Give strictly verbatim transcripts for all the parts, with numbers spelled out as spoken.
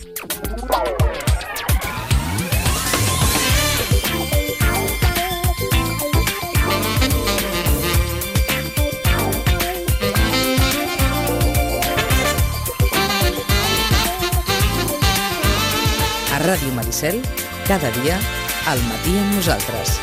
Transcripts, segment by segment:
A Ràdio Maricel, cada dia, al matí amb nosaltres.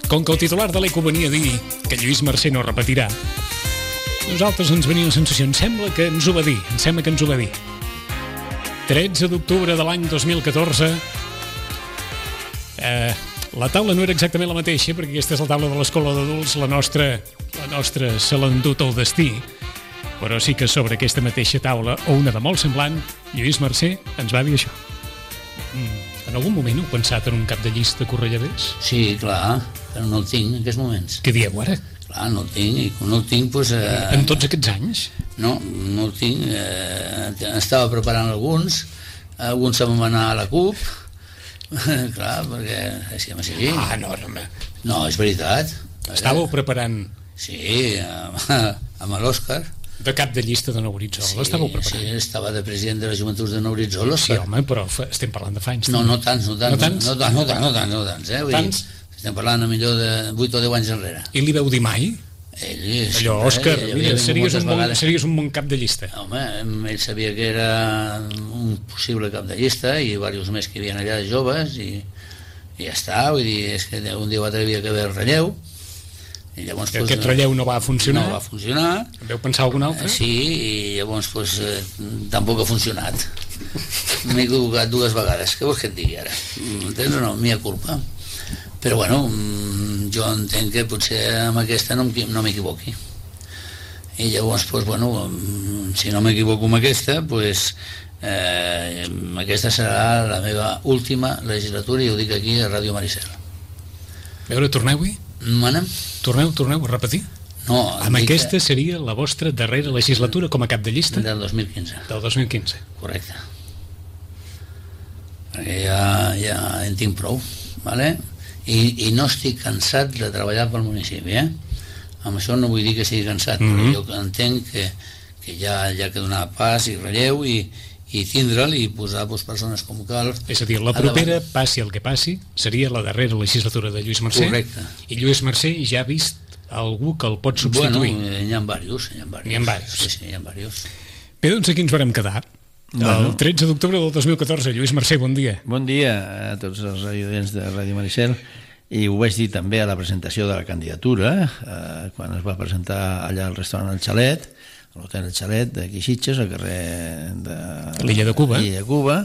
Com que el titular de l'Eco venia a dir que Lluís Mercè no repetirà, nosaltres ens venia la sensació, em sembla que ens ho va dir, em sembla que ens ho va dir. tretze d'octubre de l'any dos mil catorze, eh, la taula no era exactament la mateixa, perquè aquesta és la taula de l'escola d'adults, la nostra, la nostra se l'ha endut el destí, però sí que sobre aquesta mateixa taula, o una de molt semblant, Lluís Mercè ens va dir això. Mm. En algun moment heu pensat en un cap de llista Correllavés? Sí, clar, però no el tinc en aquests moments. Què dieu ara? Clar, no el tinc, i quan no el tinc, doncs... Eh, en tots aquests anys? No, no el tinc. Eh, estava preparant alguns, alguns se'm van anar a la CUP, clar, perquè... És que m'ha Ah, no, no, no, és veritat. Estàveu preparant... Sí, amb, amb l'Òscar. De cap de llista de Nou Horitzó, sí, l'estàveu preparant? Sí, estava de president de la Joventut de Nou Horitzó, l'Òscar. Sí, home, però estem parlant de fa anys. No, no tants, no tants. No tants? No tants, no tants, no tants, no tants, eh? Vull tants? Dir, estem parlant a millor de vuit o deu anys enrere. I li veu dir mai? Ell, allò, Òscar, mira, series un, bon, series un bon cap de llista. Home, ell sabia que era un possible cap de llista i diversos més que hi havia allà de joves i, i ja està, vull dir, és que un dia o altre havia que haver relleu. I llavors, que aquest relleu no va funcionar? No va funcionar. Veu pensar algun altre? Sí, i llavors pues, eh, tampoc ha funcionat. M'he equivocat dues vegades. Què vols que et digui ara? Entens o no? Mia culpa. Però bueno, jo entenc que potser amb aquesta no m'equivoqui. I llavors, pues, bueno, si no m'equivoco amb aquesta, pues, eh, aquesta serà la meva última legislatura, i ho dic aquí a Ràdio Maricel. A veure, torneu-hi? Manem? Torneu, torneu a repetir? No. Amb aquesta que... seria la vostra darrera legislatura com a cap de llista? Del dos mil quinze. Del dos mil quinze. Correcte. Perquè ja, ja en tinc prou, vale? I, i no estic cansat de treballar pel municipi, eh? Amb això no vull dir que estigui cansat, mm-hmm. però jo entenc que, que ja hi ha que donar pas i relleu i, i tindre'l i posar pues, persones com cal. És a dir, la propera, passi el que passi, seria la darrera legislatura de Lluís Mercè. Correcte. I Lluís Mercè ja ha vist algú que el pot substituir. Bueno, n'hi ha diversos. N'hi ha diversos. N'hi ha diversos. Sí, sí, n'hi ha diversos. Bé, doncs aquí ens vam quedar. Bueno. El tretze d'octubre del dos mil catorze. Lluís Mercè, bon dia. Bon dia a tots els radiodents de Ràdio Maricel. I ho vaig dir també a la presentació de la candidatura, eh, quan es va presentar allà al restaurant El Xalet, a l'hotel El Xalet d'aquí Sitges, al carrer de l'Illa de Cuba. l'Illa de Cuba,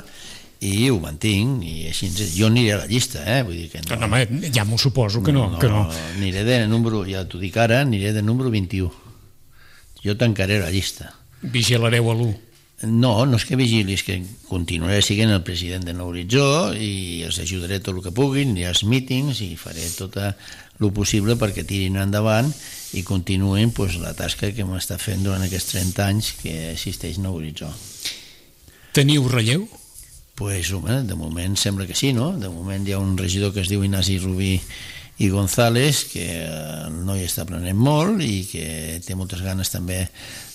i ho mantinc, i així jo aniré a la llista, eh? Vull dir que no, no, home, ja m'ho suposo que no, no, que no. Aniré de número, ja t'ho dic ara, aniré de número vint-i-u. Jo tancaré la llista. Vigilareu a l'u. No, no és que vigili, és que continuaré sent el president de Nou Horitzó i els ajudaré tot el que puguin, aniré als mítings i faré tot el possible perquè tirin endavant i continuïn pues, la tasca que m'està fent durant aquests trenta anys que existeix Nou Horitzó. Teniu relleu? Pues, home, de moment sembla que sí, no? De moment hi ha un regidor que es diu Ignasi Rubí i González, que el noi està aprenent molt i que té moltes ganes també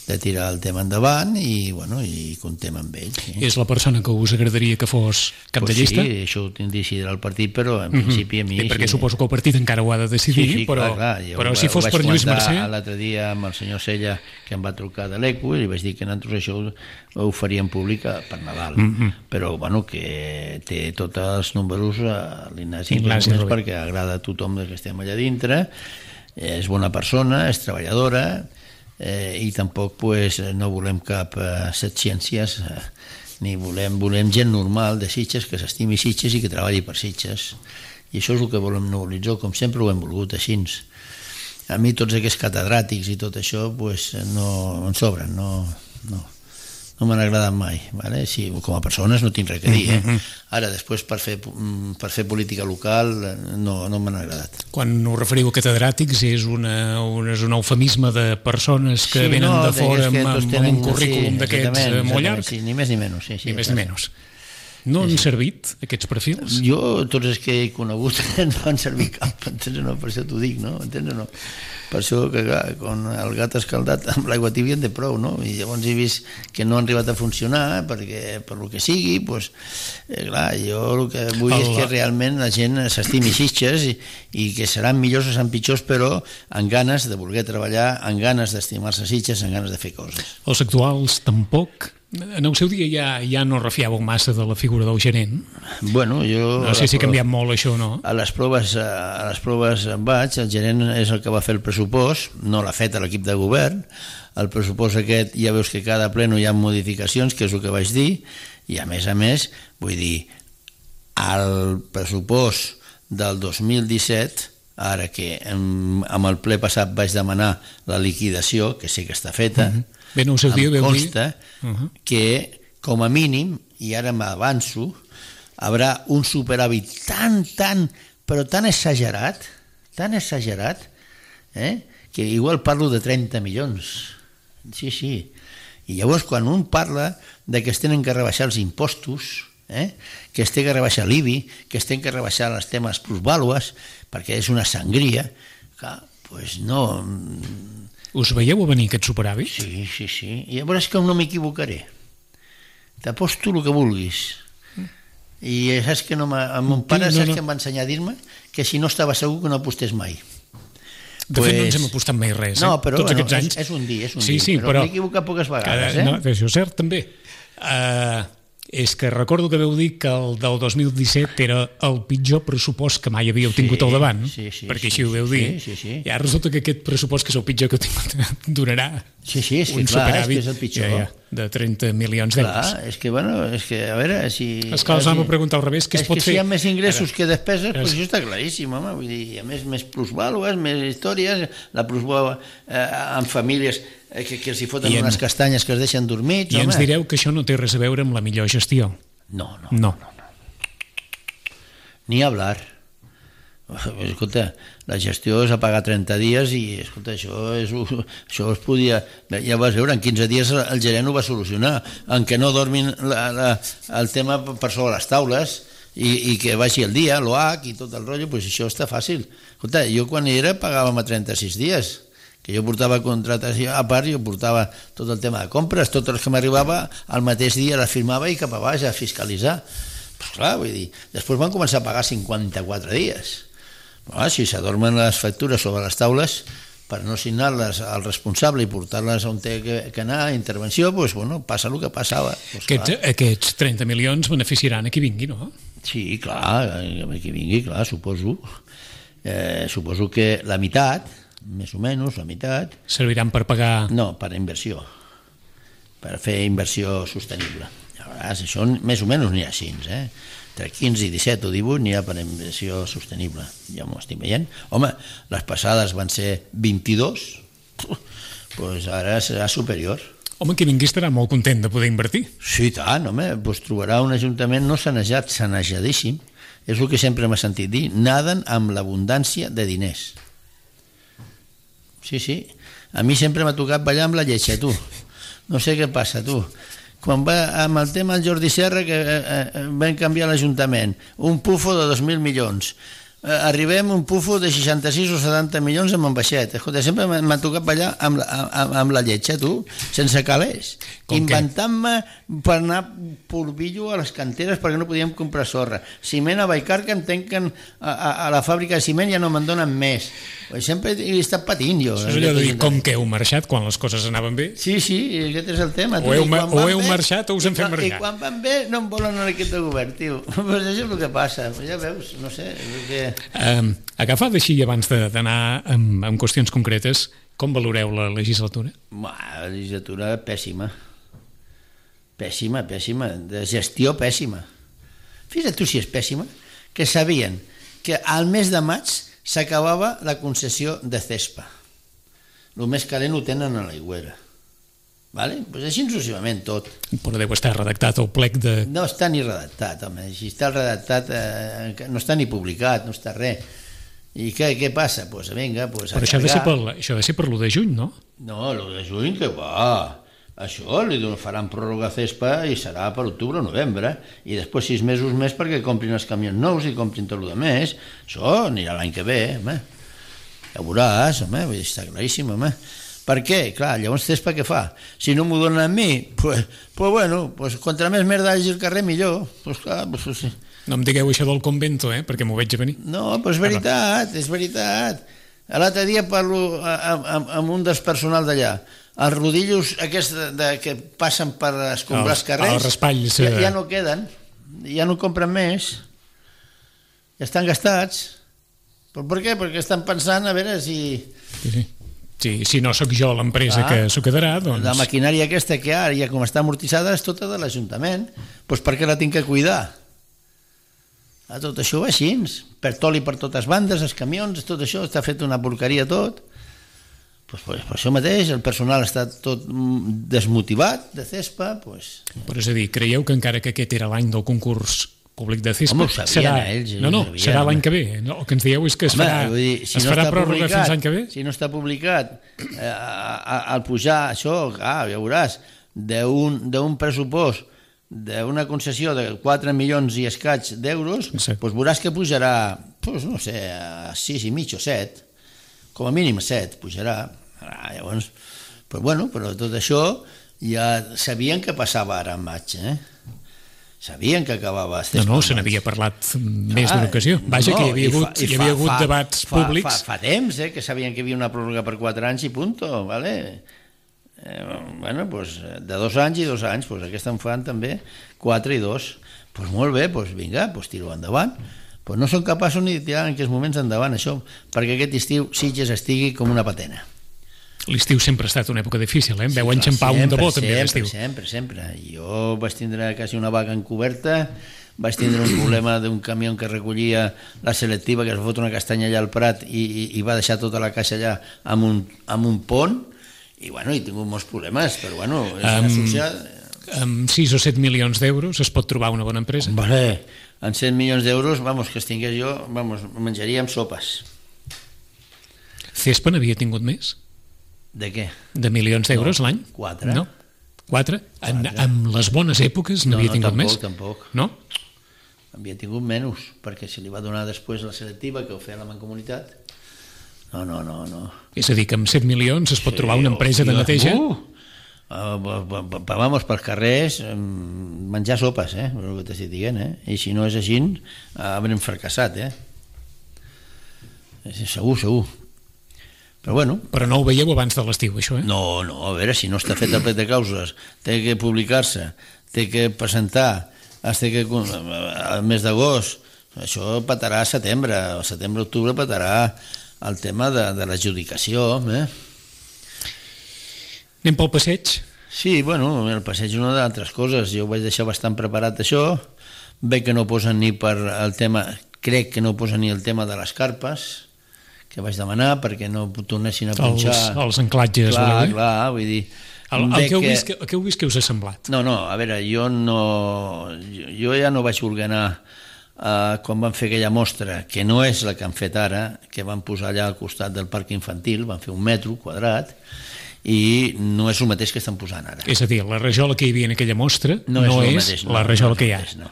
de tirar el tema endavant i, bueno, i contem amb ell. Sí. És la persona que us agradaria que fos cap pues de llista? Sí, això ho decidirà el partit, però en mm-hmm. principi a mi... Sí, perquè sí. Suposo que el partit encara ho ha de decidir, sí, sí, però, clar, clar, però ho, si fos per Lluís Mercè... L'altre dia amb el senyor Sella, que em va trucar de l'Eco, i li vaig dir que nosaltres això ho, ho faríem públic per Nadal. Mm-hmm. Però, bueno, que té tots els números a l'Ignasi, perquè agrada a tothom que estem allà dintre, és bona persona, és treballadora, eh, i tampoc pues, no volem cap eh, setciències, eh, ni volem, volem gent normal de Sitges, que s'estimi Sitges i que treballi per Sitges. I això és el que volem Nou Horitzó, com sempre ho hem volgut així. A mi tots aquests catedràtics i tot això pues, no em sobren, no, no, no m'han agradat mai. Vale? Sí, com a persones no tinc res a dir. Eh? Ara, després, per fer, per fer política local, no, no m'han agradat. Quan us referiu a catedràtics, és, una, una, és un eufemisme de persones que sí, venen no, de fora amb, amb, amb un currículum sí, d'aquests molt llarg? Sí, ni més ni menys. Sí, sí, ni més ni menys. No han servit aquests perfils? Jo, tots els que he conegut no han servit cap, entens o no? Per això t'ho dic, no? Entens o no? Per això que, clar, quan el gat escaldat amb l'aigua tibia en té prou, no? I llavors he vist que no han arribat a funcionar perquè, per lo que sigui, doncs, eh, clar, jo el que vull el... és que realment la gent s'estimi Sitges i, i que seran millors o seran pitjors, però amb ganes de voler treballar, amb ganes d'estimar-se Sitges, amb ganes de fer coses. Els actuals tampoc? En el seu dia ja, ja no refiàveu massa de la figura del gerent? Bueno, jo... No sé si ha canviat molt això o no. A les proves, a les proves en vaig, el gerent és el que va fer el pressupost, no l'ha fet a l'equip de govern, el pressupost aquest ja veus que cada pleno hi ha modificacions, que és el que vaig dir, i a més a més, vull dir, el pressupost del dos mil disset, ara que amb el ple passat vaig demanar la liquidació, que sé que està feta, mm-hmm. Bé, no, seu dia, em consta uh -huh. que, com a mínim, i ara m'avanço, haurà un superàvit tan, tan, però tan exagerat, tan exagerat, eh, que igual parlo de trenta milions. Sí, sí. I llavors, quan un parla de que es tenen que rebaixar els impostos, eh, que es té que rebaixar l'I B I, que es tenen que rebaixar els temes plusvàlues, perquè és una sangria, clar, doncs no... Us veieu a venir aquest superàvit? Sí, sí, sí. I llavors que no m'equivocaré. T'aposto el que vulguis. I saps que no el mon pare no, saps no. que em va ensenyar a dir-me que si no estava segur que no apostés mai. De fet, pues... no ens hem apostat mai res, no, però, eh? Tots bueno, aquests anys. És, és un dia, és un sí, dia. Sí, però, però... m'he equivocat poques vegades, cada... eh? No, això és cert, també. Uh, és que recordo que veu dir que el del dos mil disset era el pitjor pressupost que mai havíeu tingut sí, al davant, sí, sí, perquè sí, així ho veu dir. Sí, sí, sí. I ara resulta que aquest pressupost, que és el pitjor que heu tingut, donarà sí, sí, és que, un clar, superàvit és que és el pitjor. Ja, ja, de trenta milions d'euros. Clar, és que, bueno, és que, a veure, si... És que els vam preguntar al revés, què es és pot que fer? si hi ha més ingressos ara, que despeses, ara, doncs això està claríssim, home, vull dir, a més, més plusvàlues, més històries, la plusvàlua eh, en famílies eh, que, que els hi foten en, unes castanyes que es deixen dormits, I home. ens direu que això no té res a veure amb la millor gestió. No, no, no. no, no. Ni hablar. Escolta, la gestió és a pagar trenta dies i, escolta, això, és, això es podia... Ja vas veure, en quinze dies el gerent ho va solucionar, en què no dormin la, la, el tema per sobre les taules i, i que vagi el dia, l'O H i tot el rotllo, doncs això està fàcil. Escolta, jo quan hi era pagàvem a trenta-sis dies, que jo portava contratació, a part jo portava tot el tema de compres, tot el que m'arribava al mateix dia les firmava i cap a baix a fiscalitzar. Pues clar, vull dir, després van començar a pagar cinquanta-quatre dies. Però, si s'adormen les factures sobre les taules per no signar-les al responsable i portar-les on té que, que anar a intervenció, doncs, bueno, passa el que passava. Pues, aquests, aquests trenta milions beneficiaran a qui vingui, no? Sí, clar, a qui vingui, clar, suposo. Eh, suposo que la meitat, més o menys, la meitat... Serviran per pagar... No, per inversió, per fer inversió sostenible. Llavors, això més o menys n'hi ha així, eh? Entre quinze i disset o divuit n'hi ha per inversió sostenible, ja m'ho estic veient. Home, les passades van ser vint-i-dos, doncs ara serà superior. Home, qui vingui estarà molt content de poder invertir. Sí, tant, home, doncs trobarà un ajuntament no sanejat, sanejadíssim. És el que sempre m'ha sentit dir, naden amb l'abundància de diners. Sí, sí, a mi sempre m'ha tocat ballar amb la lletja, tu. No sé què passa, tu. Quan va amb el tema del Jordi Serra, que eh, eh, vam canviar l'Ajuntament, un pufo de dos mil milions. Eh, arribem a un pufo de seixanta-sis o setanta milions amb en baixet. Escolta, sempre m'ha tocat ballar amb, amb, amb la lletja, tu, sense calés. Inventant-me per anar polvillo a les canteres perquè no podíem comprar sorra. Ciment a Vallcarca em tanquen a, a, a la fàbrica de ciment, ja no me'n donen més. Sempre he estat patint jo. Això és allò de dir com que heu marxat quan les coses anaven bé. Sí, sí, aquest és el tema. O heu, o heu marxat o us hem fet marxar. I quan van bé no em volen en aquest de govern, tio. Pues això és el que passa. Ja veus, no sé. Que... Um, agafat així abans d'anar amb, amb qüestions concretes, com valoreu la legislatura? La legislatura pèssima. Pèssima, pèssima. De gestió pèssima. Fixa't tu si és pèssima, que sabien que al mes de maig s'acabava la concessió de Cespa. El més calent ho tenen a l'Aigüera. Vale? Pues així successivament tot. Però deu estar redactat el plec de... No està ni redactat, home. Si està redactat, eh, no està ni publicat, no està res. I què, què passa? Pues, vinga, pues, Però això ha, de ser per, això ha de ser per l'u de juny, no? No, l'u de juny que va. això li faran pròrroga a Cespa i serà per octubre o novembre, i després sis mesos més perquè comprin els camions nous i comprin tot el més. Això anirà l'any que ve, home. Ja veuràs, home, està claríssim, home. Per què? Clar, llavors Cespa què fa? Si no m'ho donen a mi, pues, pues bueno, pues contra més merda hagi al carrer millor. Pues clar, pues sí. No em digueu això del convento, eh? Perquè m'ho veig a venir. No, però és veritat, és veritat. L'altre dia parlo amb, amb un dels personal d'allà. Els rodillos aquests de, de, que passen per escombrar els carrers, els raspalls, ja, ja no queden, ja no compren més, ja estan gastats. Però per què? Perquè estan pensant a veure si... Sí, sí. Sí, si no sóc jo l'empresa ah, que s'ho quedarà, doncs... La maquinària aquesta que ara, ja com està amortitzada, és tota de l'Ajuntament. Doncs per què la tinc que cuidar? Ah, tot això va així, per toli per totes bandes, els camions, tot això, està fet una porqueria tot. Pues, pues, per això mateix, el personal està tot desmotivat de Cespa. Pues... Però és a dir, creieu que encara que aquest era l'any del concurs públic de Cespa, home, ho sabien, serà... ells, no, no, sabien, serà l'any que ve. No, el que ens dieu és que es home, farà, dir, si es no farà pròrroga fins l'any que ve? Si no està publicat, eh, al pujar això, ah, ja veuràs, d'un pressupost d'una concessió de quatre milions i escaig d'euros, sí. Doncs veuràs que pujarà, doncs, no sé, a sis i mig o set, com a mínim a set pujarà. Ah, llavors, però bueno, però tot això ja sabien que passava ara en maig, eh? Sabien que acabava... No, no, se n'havia parlat més ah, d'una ocasió. Vaja, no, que hi havia hagut, fa, hi havia hagut fa, debats fa, públics. Fa, fa, fa temps, eh, que sabien que hi havia una pròrroga per quatre anys i punto, vale? Eh, bueno, pues, de dos anys i dos anys, pues aquesta en fan també quatre i dos. Pues molt bé, pues vinga, pues tiro endavant. Pues no són capaços ni de tirar en aquests moments endavant això, perquè aquest estiu Sitges estigui com una patena. L'estiu sempre ha estat una època difícil, eh? Em veu enxampar un de bo també l'estiu. Sempre, sempre, sempre. Jo vaig tindre quasi una vaga encoberta, vaig tindre un problema d'un camió que recollia la selectiva, que es fot una castanya allà al Prat i, i, i va deixar tota la caixa allà amb un, amb un pont, i bueno, he tingut molts problemes, però bueno, és una um, associat... Amb sis o set milions d'euros es pot trobar una bona empresa? Vale, amb set milions d'euros, vamos, que es tingués jo, vamos, menjaríem sopes. Cespa n'havia tingut més? De què? De milions d'euros no, l'any? Quatre. No? Quatre? En, en les bones èpoques n'havia no, no, tingut tampoc, més? Tampoc, no? Havia tingut menys, perquè se li va donar després la selectiva que ho feia la Mancomunitat. No, no, no, no. És a dir, que amb set milions es pot sí, trobar una empresa de neteja? Uh, uh, vamos pels carrers, menjar sopes, eh? És el que t'estic dient, eh? I si no és així, haurem fracassat, eh? Segur, segur. Però bueno... Però no ho veieu abans de l'estiu, això, eh? No, no, a veure, si no està fet el plet de causes, té que publicar-se, té que presentar, té que... al mes d'agost, això patarà a setembre, al setembre-octubre patarà el tema de, de l'adjudicació, eh? Anem pel passeig? Sí, bueno, el passeig és una d'altres coses, jo ho vaig deixar bastant preparat això, veig que no posen ni per el tema, crec que no posen ni el tema de les carpes, que vaig demanar perquè no tornessin a punxar... Els, els anclatges, clar, voleu dir? Clar, vull dir... El, el, que heu vist, que, el que heu vist que us ha semblat? No, no, a veure, jo no... Jo, jo ja no vaig voler anar uh, quan van fer aquella mostra, que no és la que han fet ara, que van posar allà al costat del parc infantil, van fer un metro quadrat, i no és el mateix que estan posant ara. És a dir, la rajola que hi havia en aquella mostra no, no és, és mateix, no, la rajola no que hi ha. Mateix, no.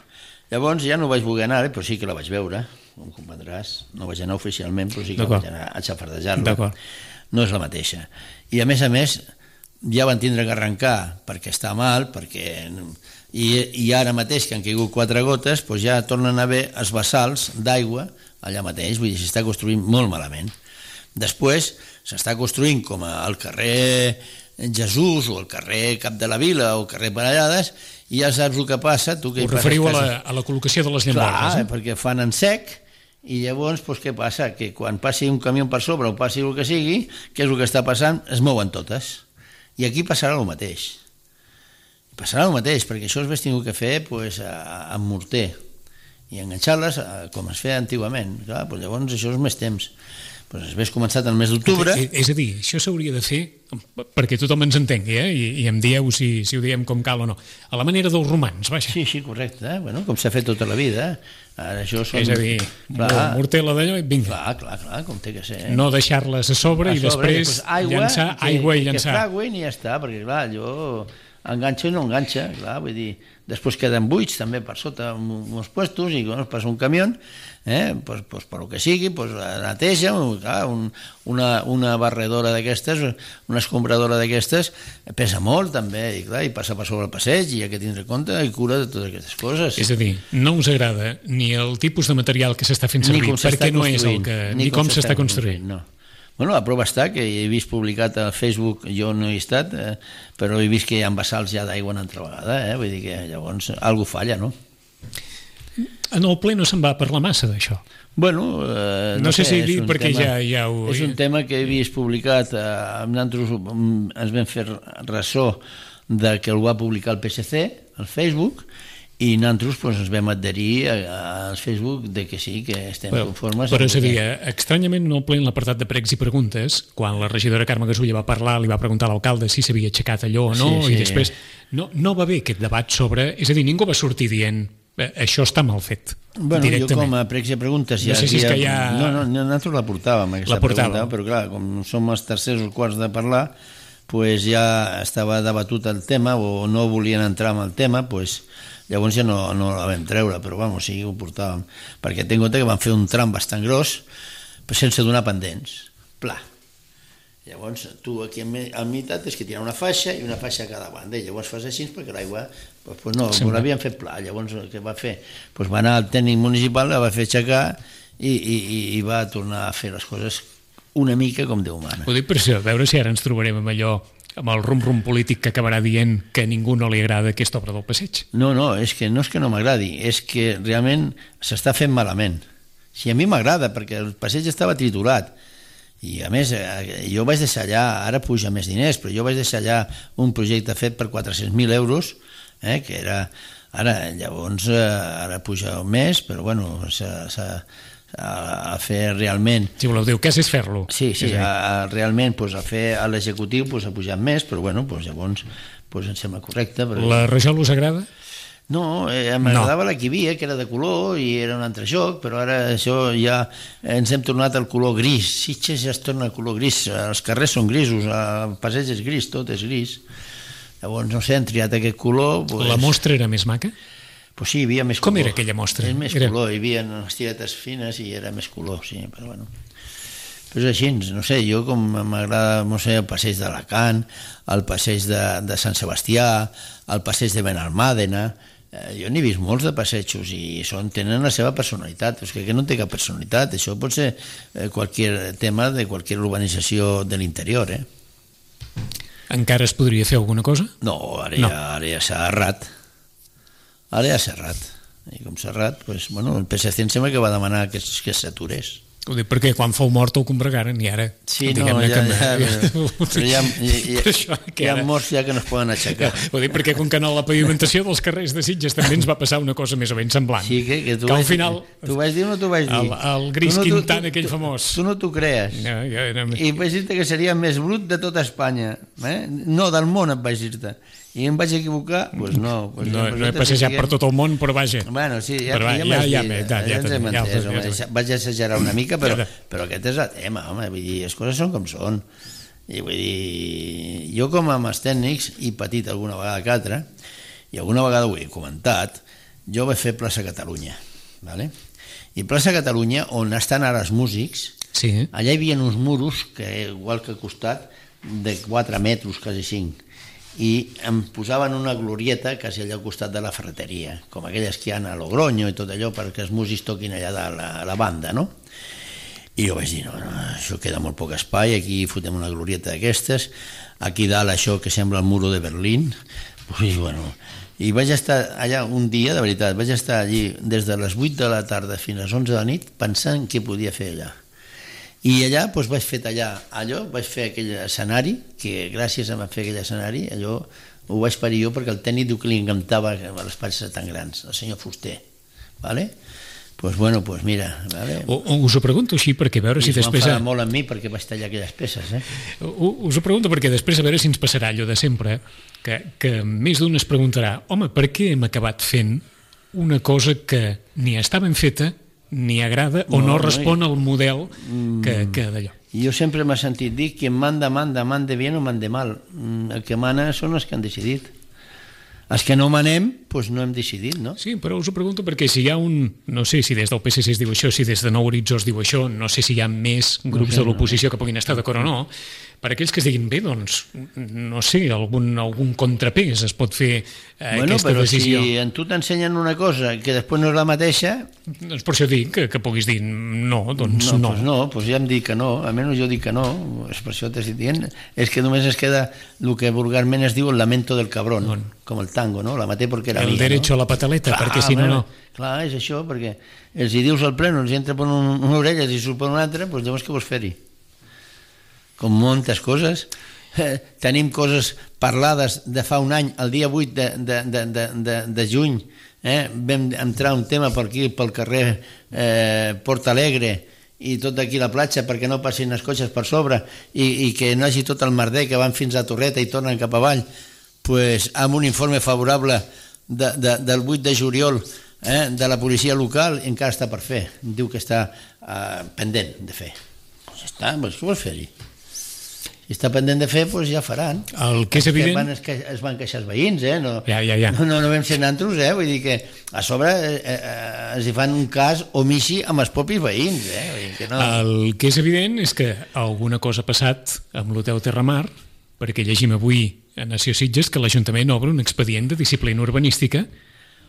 Llavors ja no vaig voler anar, però sí que la vaig veure, com comprendràs, no vaig anar oficialment, però sí que vaig anar a xafardejar-la. No és la mateixa. I a més a més, ja van tindre que arrencar perquè està mal, perquè... I, i ara mateix, que han caigut quatre gotes, doncs ja tornen a haver els bassals d'aigua allà mateix, vull dir, s'està construint molt malament. Després s'està construint com al carrer Jesús o al carrer Cap de la Vila o al carrer Parellades, i ja saps el que passa. Tu que Us referiu a la, a la col·locació de les llambordes? Clar, eh? Perquè fan en sec, i llavors doncs, què passa? Que quan passi un camió per sobre o passi el que sigui, què és el que està passant? Es mouen totes. I aquí passarà el mateix. Passarà el mateix, perquè això es hagués tingut que fer pues, amb morter i enganxar-les com es feia antigament. Clar, doncs llavors això és més temps. Pues hagués començat el mes d'octubre. És a dir, això s'hauria de fer perquè tothom ens entengui, eh? I, i em dieu si, si ho diem com cal o no. A la manera dels romans, vaja. Sí, sí, correcte. Eh? Bueno, com s'ha fet tota la vida. Ara això són... És a dir, clar, mortela d'allò i vinga. Clar, clar, clar, com té que ser. Eh? No deixar-les a sobre a i sobre, després, després aigua, llançar que, aigua i llançar. Que fragüen i ja està, perquè clar, allò enganxa i no enganxa, clar, vull dir, després queden buits també per sota uns puestos i quan es passa un camió, eh, pues, pues, per el que sigui, pues, neteja, clar, un, una, una barredora d'aquestes, una escombradora d'aquestes, pesa molt també, i, clar, i passa per sobre el passeig i hi ha que tindre compte i cura de totes aquestes coses. És a dir, no us agrada ni el tipus de material que s'està fent servir, perquè no és el que... ni com s'està construint. No. Bueno, la prova està que he vist publicat a Facebook, jo no he estat, eh, però he vist que hi ha vessals ja d'aigua una altra vegada, eh? Vull dir que llavors alguna falla, no? En el ple no se'n va parlar massa d'això. Bueno, eh, no, no sé, sé si dir perquè tema, ja, ja ho... És un tema que he vist publicat, eh, nosaltres ens vam fer ressò de que el va publicar el P S C, al Facebook, i nosaltres pues, ens vam adherir al Facebook de que sí, que estem bueno, conformes. Però és a dir, estranyament no ple en l'apartat de pregs i preguntes, quan la regidora Carme Gasulla va parlar, li va preguntar a l'alcalde si s'havia aixecat allò o no, sí, sí. I després no, no va haver aquest debat sobre... És a dir, ningú va sortir dient això està mal fet. Bueno, jo com a pregs i preguntes... Ja, no sé si és que ja... No, no, nosaltres la portàvem, aquesta la portàvem. pregunta, però clar, com som els tercers o quarts de parlar, pues ja estava debatut el tema o no volien entrar en el tema, pues... Llavors ja no, no la vam treure, però vamos, sí, ho portàvem. Perquè tenc en compte que van fer un tram bastant gros, però sense donar pendents. Pla. Llavors, tu aquí a meitat és que tira una faixa i una faixa a cada banda, i llavors fas així perquè l'aigua... Doncs pues no, sí, ho l'havien fet pla. Llavors, què va fer? Pues va anar al tècnic municipal, la va fer aixecar i, i, i va tornar a fer les coses una mica com Déu mana. Ho dic per això, a veure si ara ens trobarem amb allò amb el rum-rum polític que acabarà dient que a ningú no li agrada aquesta obra del passeig. No, no, és que no és que no m'agradi, és que realment s'està fent malament. Si a mi m'agrada, perquè el passeig estava triturat, i a més jo vaig deixar allà, ara puja més diners, però jo vaig deixar allà un projecte fet per quatre-cents mil euros, eh, que era, ara llavors, ara puja més, però bueno, s'ha... A, a fer realment... Si voleu dir, què és fer-lo? Sí, sí, a, a, realment pues, a fer a l'executiu pues, ha pujat més, però bueno, pues, llavors pues, em sembla correcte. Perquè... La rajol us agrada? No, eh, m'agradava no. La que hi havia, que era de color i era un altre joc, però ara això ja ens hem tornat al color gris. Sitges ja es torna al color gris, els carrers són grisos, el passeig és gris, tot és gris. Llavors, no sé, han triat aquest color... Pues... La mostra era més maca? Pues sí, hi havia més Com color. era aquella mostra? És més era... color, hi havia unes tiretes fines i era més color, sí, però bueno. Però és així, no sé, jo com m'agrada, no sé, el passeig d'Alacant, el passeig de, de Sant Sebastià, el passeig de Benalmàdena, eh, jo n'he vist molts de passejos i són, tenen la seva personalitat, és que no té cap personalitat, això pot ser eh, qualsevol tema de qualsevol urbanització de l'interior, eh? Encara es podria fer alguna cosa? No, ara no. ja, ara ja s'ha errat. Ara ja ha Serrat, i com Serrat, pues, bueno, el P S C em sembla que va demanar que, que s'aturés. Ho dic perquè quan fou mort el combregaren i ara... Sí, no, ja, que... ja, però, però hi ha, hi, hi, hi ha morts ja que no es poden aixecar. Ho dic perquè com que no la pavimentació dels carrers de Sitges també ens va passar una cosa més o menys semblant. Sí, que, que tu que al vaig, final... Tu vaig dir o no t'ho vaig dir? El, el Gris no, Quintan, tu, aquell tu, famós. Tu no t'ho crees. No, jo era... I vaig dir-te que seria més brut de tota Espanya. Eh? No, del món et vaig dir-te. I em vaig equivocar? Doncs pues no. Pues no, no he passejat per tot el món, però vaja. Bueno, sí, ja, però, ja, ja, ja, ja, ja, ja, ja, ja, ja, ja vaig exagerar una mica, però, ja, però aquest és el tema, home, vull dir, les coses són com són. I vull dir, jo com amb els tècnics, i patit alguna vegada que altra, i alguna vegada ho he comentat, jo vaig fer plaça Catalunya, ¿vale? I plaça Catalunya, on estan ara els músics, sí. Allà hi havia uns muros, que igual que al costat, de quatre metres, quasi cinc, i em posaven una glorieta quasi allà al costat de la ferreteria, com aquelles que hi ha a Logroño i tot allò, perquè els músics toquin allà de la, la banda, no? I jo vaig dir, no, no, això queda molt poc espai, aquí fotem una glorieta d'aquestes, aquí dalt això que sembla el muro de Berlín, i bueno... I vaig estar allà un dia, de veritat, vaig estar allí des de les vuit de la tarda fins a les onze de la nit pensant què podia fer allà. I allà doncs, vaig fer allà allò, vaig fer aquell escenari, que gràcies a fer aquell escenari, allò ho vaig parir jo perquè el tècnic diu que li encantava les passes tan grans, el senyor Fuster, ¿vale? pues bueno, pues mira, vale. O, o us ho pregunto així perquè a veure si després... I es va enfadar molt amb mi perquè vaig tallar aquelles peces, eh? O, us ho pregunto perquè després a veure si ens passarà allò de sempre, que, que més d'un es preguntarà, home, per què hem acabat fent una cosa que ni està ben feta, ni agrada, o no, no respon no, al model que, que d'allò? Jo sempre m'he sentit dir que manda, manda, mande bien o mande mal. El que mana són els que han decidit. Els que no manem, doncs no hem decidit, no? Sí, però us ho pregunto perquè si hi ha un... No sé si des del P S C es diu això, si des de Nou Horitzó es diu això, no sé si hi ha més grups no sé, de l'oposició no. que puguin estar d'acord o no. Per aquells que es diguin bé, doncs, no sé, algun, algun contrapès es pot fer eh, bueno, aquesta decisió. Bueno, però si en tu t'ensenyen una cosa que després no és la mateixa... Doncs per això dic que, que puguis dir no, doncs no. No, doncs no, doncs ja em dic que no, almenys jo dic que no, és per això t'estic dient, és que només es queda el que vulgarment es diu el lamento del cabrón, bon. Com el tango, no? La maté perquè era el mía, derecho no? a la pataleta, clar, perquè si no, no... Clar, és això, perquè els hi dius al pleno, els hi entra per un, una orella i surt per una altra, doncs llavors què vols fer-hi? Com moltes coses. Eh, tenim coses parlades de fa un any, el dia vuit de, de, de, de, de, de juny, eh, vam entrar un tema per aquí, pel carrer eh, Porta Alegre, i tot d'aquí la platja perquè no passin els cotxes per sobre i, i que no hagi tot el merder que van fins a Torreta i tornen cap avall, pues, amb un informe favorable de, de, del vuit de juliol eh, de la policia local, encara està per fer, diu que està eh, pendent de fer. Pues ja està, pues, què vols fer-hi? Si està pendent de fer, doncs ja faran. El que és evident... Van, es, es van queixar els veïns, eh? No, ja, ja, ja. no, no, no vam ser nantros, eh? Vull dir que a sobre eh, eh, els hi fan un cas omissi amb els propis veïns, eh? Vull dir que no... El que és evident és que alguna cosa ha passat amb l'Hotel Terramar, perquè llegim avui a Nació Sitges que l'Ajuntament obre un expedient de disciplina urbanística.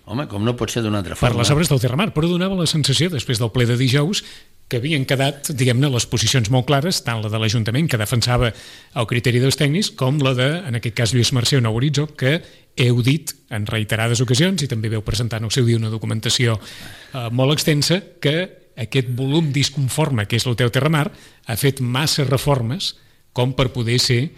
Home, com no pot ser d'una altra forma. Per les obres del Terramar, però donava la sensació, després del ple de dijous, que havien quedat, diguem-ne, les posicions molt clares, tant la de l'Ajuntament, que defensava el criteri dels tècnics, com la de, en aquest cas, Lluís Mercè o Nou Horitzó, que heu dit en reiterades ocasions, i també veu presentar en el seu dia una documentació eh, molt extensa, que aquest volum disconforme que és l'Hotel Terramar ha fet massa reformes com per poder ser eh,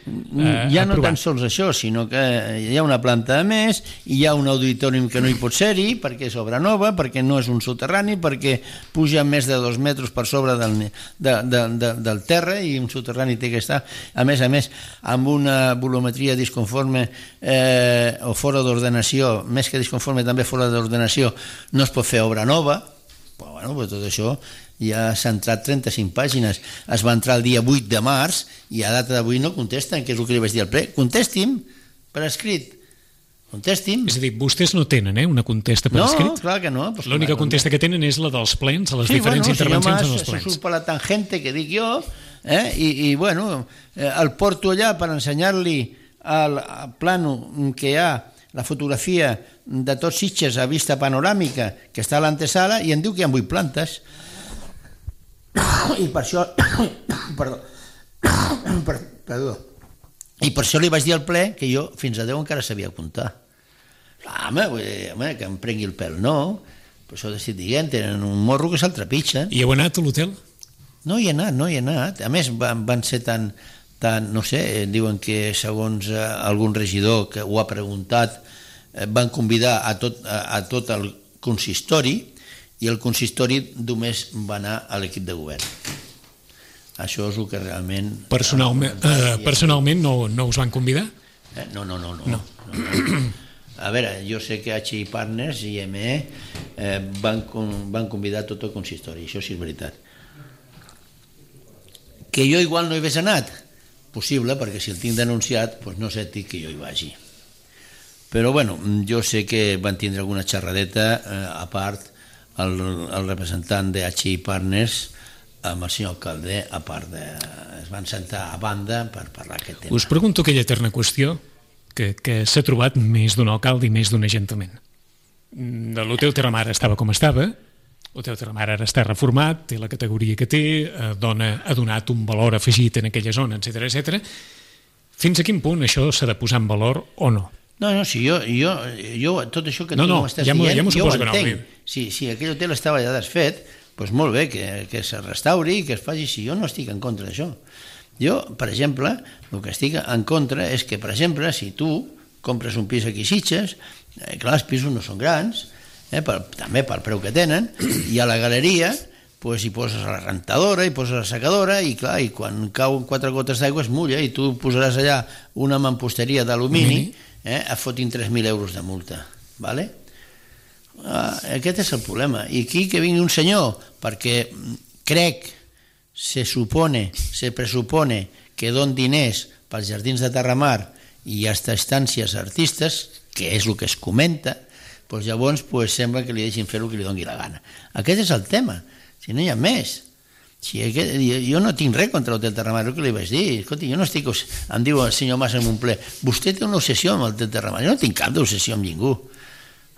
ja no aprovat. tan sols això, sinó que hi ha una planta de més, hi ha un auditorium que no hi pot ser-hi, perquè és obra nova, perquè no és un soterrani, perquè puja més de dos metres per sobre del, de, de, de, del terra, i un soterrani té que estar, a més a més, amb una volumetria disconforme eh, o fora d'ordenació, més que disconforme també fora d'ordenació, no es pot fer obra nova. Però, bueno, però tot això ja s'ha entrat trenta-cinc pàgines, es va entrar el dia vuit de març i a data d'avui no contesten, que és el que li vaig dir al ple. Contesti'm per escrit, contesti'm. És a dir, vostès no tenen eh, una contesta per no, escrit? No, clar que no. Pues l'única clar, contesta que tenen és la dels plens, a les sí, diferents bueno, intervencions en els plens. Se surt per la tangente que dic jo, eh, i, i bueno, eh, el porto allà per ensenyar-li al, al plano que hi ha la fotografia de tots Sitges a vista panoràmica que està a l'antesala i em diu que hi ha vuit plantes i per això perdó per, perdó i per això li vaig dir al ple que jo fins a deu encara sabia comptar. Home, vull dir, home, que em prengui el pèl, no, per això t'estic dient, tenen un morro que se'l trepitja. I heu anat a l'hotel? No hi he anat, no hi he anat, a més van, van ser tan Tant, no sé, diuen que segons eh, algun regidor que ho ha preguntat eh, van convidar a tot, a, a tot el consistori i el consistori només va anar a l'equip de govern. Això és el que realment... Personalment, eh, personalment no, no us van convidar? Eh, no, no, no, no. no. no, no. A veure, jo sé que H I Partners i M E eh, van, van convidar tot el consistori, això sí és veritat. Que jo igual no hi hagués anat? Possible, perquè si el tinc denunciat doncs no sé que jo hi vagi, però bueno, jo sé que van tindre alguna xerradeta eh, a part el, el representant de H I Partners amb el senyor alcalde, a part de, es van sentar a banda per parlar aquest tema. Us pregunto aquella eterna qüestió que, que s'ha trobat més d'un alcalde i més d'un ajuntament. L'Hotel Terramar estava com estava, l'Hotel Terramar ara està reformat, té la categoria que té, dona, ha donat un valor afegit en aquella zona, etcètera, etcètera. Fins a quin punt això s'ha de posar en valor o no? No, no, si jo, jo, jo tot això que no, tu no, m'estàs ja dient, ja jo ho entenc. No. Si, si aquell hotel estava ja desfet, doncs molt bé, que, que se restauri i que es faci, si jo no estic en contra d'això. Jo, per exemple, el que estic en contra és que, per exemple, si tu compres un pis aquí a Sitges, eh, clar, els pisos no són grans, eh, per, també pel preu que tenen, i a la galeria pues, hi poses la rentadora, hi poses la secadora, i clar, i quan cauen quatre gotes d'aigua es mulla, i tu posaràs allà una mamposteria d'alumini, eh, et fotin tres mil euros de multa, vale? Ah, aquest és el problema. I aquí que vingui un senyor, perquè crec, se supone, se presupone que don diners pels jardins de Terramar i hasta estàncies artistes, que és el que es comenta, doncs llavors pues, sembla que li deixin fer el que li doni la gana. Aquest és el tema, si no hi ha més. Si aquest, jo no tinc res contra l'Hotel Terramar, el que li vaig dir, escolti, jo no estic, em diu el senyor Mas en un ple, vostè té una obsessió amb l'Hotel Terramar, jo no tinc cap d'obsessió amb ningú.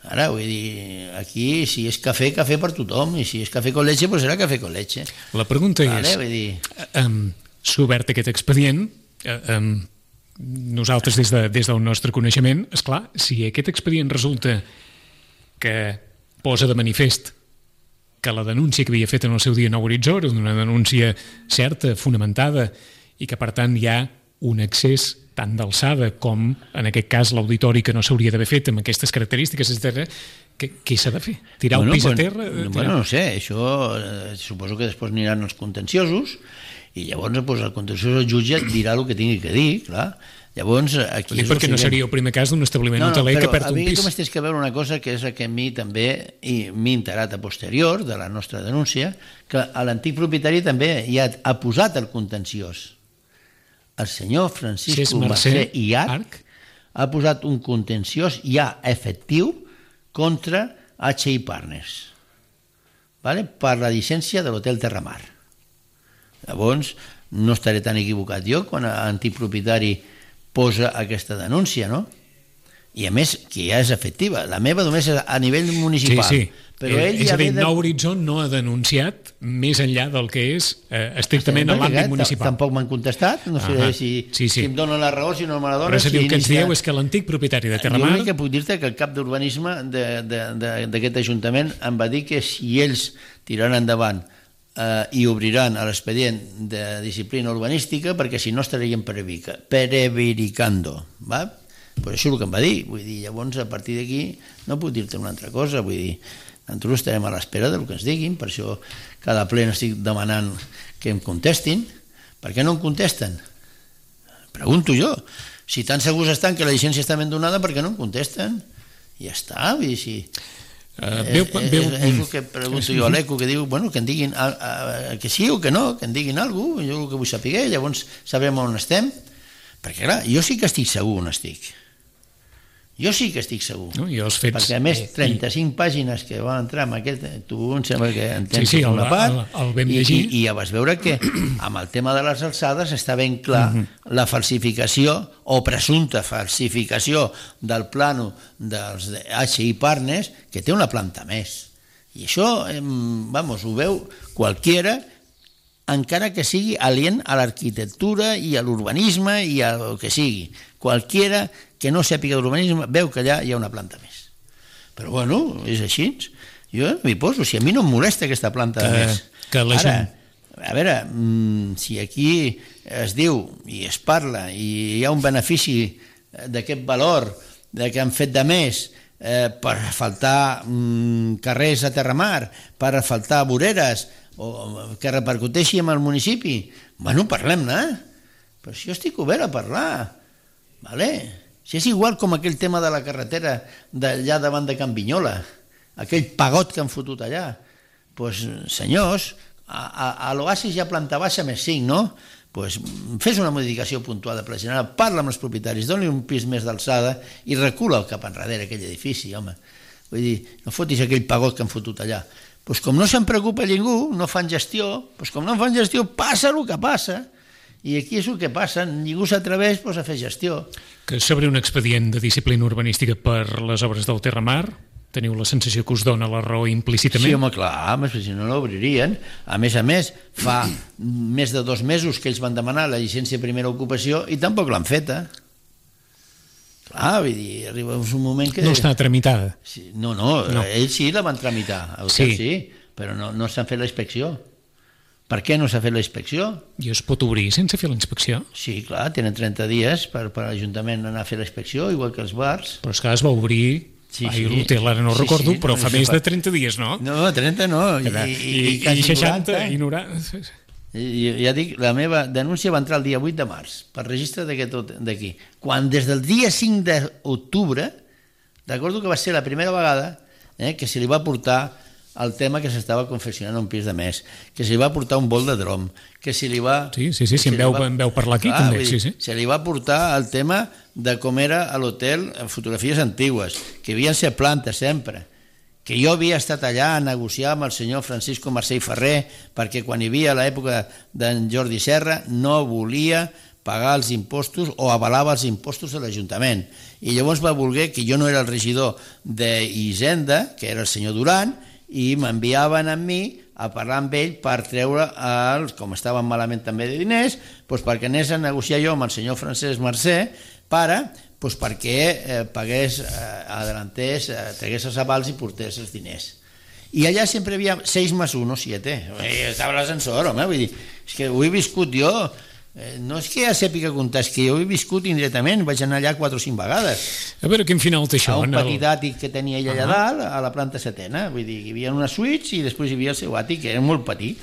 Ara, vull dir, aquí, si és cafè, cafè per tothom, i si és cafè con leche, doncs serà cafè con leche. La pregunta vale, és, vull dir... um, s'ha obert aquest expedient, uh, um, nosaltres des, de, des del nostre coneixement, esclar, si aquest expedient resulta que posa de manifest que la denúncia que havia fet en el seu dia Nou Horitzó era una denúncia certa, fonamentada, i que per tant hi ha un accés tant d'alçada com, en aquest cas, l'auditori que no s'hauria d'haver fet amb aquestes característiques, etcètera, què s'ha de fer? Tirar bueno, el pis bueno, a terra? Tirar... Bueno, no sé, això eh, suposo que després aniran els contenciosos i llavors pues, el contenciós el jutge dirà el que tingui que dir, clar. Llavors, aquí és perquè no seria el primer cas d'un establiment no, no, hoteler que perd un pis. Però a mi tu que veure una cosa que és que a mi també m'he enterat a posterior de la nostra denúncia, que l'antic propietari també ja ha posat el contenciós. El senyor Francisco Mercè i Arc ha posat un contenciós ja efectiu contra H I Partners, vale? Per la llicència de l'Hotel Terramar. Llavors, no estaré tan equivocat jo quan l'antic propietari posa aquesta denúncia, no? I a més, que ja és efectiva. La meva només és a nivell municipal. Sí, sí. Però ell és ja a dir, de... Nou Horitzó no ha denunciat més enllà del que és eh, estrictament a l'àmbit municipal. Tampoc m'han contestat, no sé si, sí, sí. si em donen la raó, si no me la donen. Però és a dir, si el que ens inicia... dieu és que l'antic propietari de Terramar... Jo l'únic que puc dir-te que el cap d'urbanisme d'aquest ajuntament em va dir que si ells tiraran endavant eh, i obriran l'expedient de disciplina urbanística, perquè si no estarien prevaricando, va? Pues això és el que em va dir. Vull dir, llavors, a partir d'aquí, no puc dir-te una altra cosa. Vull dir, nosaltres estarem a l'espera del que ens diguin, per això cada ple estic demanant que em contestin. Per què no em contesten? Pregunto jo. Si tan segurs estan que la llicència està ben donada, per què no em contesten? I ja està, vull dir, si... Uh, veu, veu, és, és el que pregunto jo a l'Eco, que diu, bueno, que en diguin a, a, que sí o que no, que en diguin alguna cosa, jo el que vull saber, llavors sabrem on estem, perquè clar, jo sí que estic segur on estic. Jo sí que estic segur. No, i els fets... Perquè a més, trenta-cinc i... pàgines que van entrar en aquest... Tu em sembla que entens sí, sí, una part, el, el vam i, llegir. i, i ja vas veure que amb el tema de les alçades està ben clar uh -huh. la falsificació o presumpta falsificació del plano dels H I Partners, que té una planta més. I això, eh, vamos, ho veu qualquiera, encara que sigui alien a l'arquitectura i a l'urbanisme i a el que sigui. Qualquiera que no sàpiga d'urbanisme veu que allà hi ha una planta més. Però bueno, és així. Jo m'hi poso, si a mi no em molesta aquesta planta de que, més. Que la Ara, gent... a veure, si aquí es diu i es parla i hi ha un benefici d'aquest valor de que han fet de més eh, per faltar mm, carrers a Terramar, per faltar voreres, o que repercuteixi en el municipi, bueno, parlem-ne. Però si jo estic obert a parlar, vale? Si és igual com aquell tema de la carretera d'allà davant de Can Vinyola, aquell pagot que han fotut allà, doncs, senyors, a, a, a l'Oasis hi ha planta baixa més cinc, no? Doncs fes una modificació puntual de Pla General, parla amb els propietaris, doni un pis més d'alçada i recula cap enrere aquell edifici, home. Vull dir, no fotis aquell pagot que han fotut allà. Doncs com no se'n preocupa ningú, no fan gestió, doncs com no fan gestió, passa el que passa. I aquí és el que passa, ningú s'atreveix doncs, a fer gestió. Que sobre un expedient de disciplina urbanística per les obres del Terramar, teniu la sensació que us dona la raó implícitament? Sí, home, clar, si no l'obririen. A més a més, fa més de dos mesos que ells van demanar la llicència de primera ocupació i tampoc l'han feta. Clar, vull dir, arriba un moment que... No està tramitada. Sí, no, no, no, ells sí la van tramitar, el sí. sí, però no, no s'han fet la inspecció. Per què no s'ha fet la inspecció? I es pot obrir sense fer la inspecció? Sí, clar, tenen trenta dies per, per l'Ajuntament anar a fer la inspecció, igual que els bars. Però és que es va obrir Sí, Ai, sí. L'hotel ara no sí, recordo, sí, però no, fa no més fa... de trenta dies, no? No, trenta no, i, i, i, i, i seixanta, noranta. I noranta. I, ja dic, la meva denúncia va entrar el dia vuit de març, per registre d'aquí. Quan des del dia cinc d'octubre, recordo que va ser la primera vegada eh, que se li va portar el tema que s'estava confeccionant un pis de més, que se li va portar un bol de drom, que se li va... Sí, sí, sí, si em veu, va... em veu parlar aquí, clar, també, sí, sí. Se li va portar el tema de com era a l'hotel fotografies antigues, que havien ser plantes sempre, que jo havia estat allà a negociar amb el senyor Francisco Mercè i Ferrer, perquè quan hi havia l'època d'en Jordi Serra no volia pagar els impostos o avalava els impostos de l'Ajuntament. I llavors va voler que jo no era el regidor d'Hisenda, que era el senyor Duran, i m'enviaven a mi a parlar amb ell per treure, els, com estaven malament també de diners, doncs perquè anés a negociar jo amb el senyor Francesc Mercè para, doncs perquè eh, pagués, eh, adelantés, eh, tragués els avals i portés els diners. I allà sempre hi havia seis més un o siete. Estava l'ascensor, home, vull dir, és que ho he viscut jo. Eh, no és que ja sàpiga comptar, és que jo he viscut indirectament, vaig anar allà quatre o cinc vegades. A veure, quin final té això? A un petit àtic que tenia ella allà dalt, a la planta setena, vull dir, hi havia una suite i després hi havia el seu àtic, que era molt petit.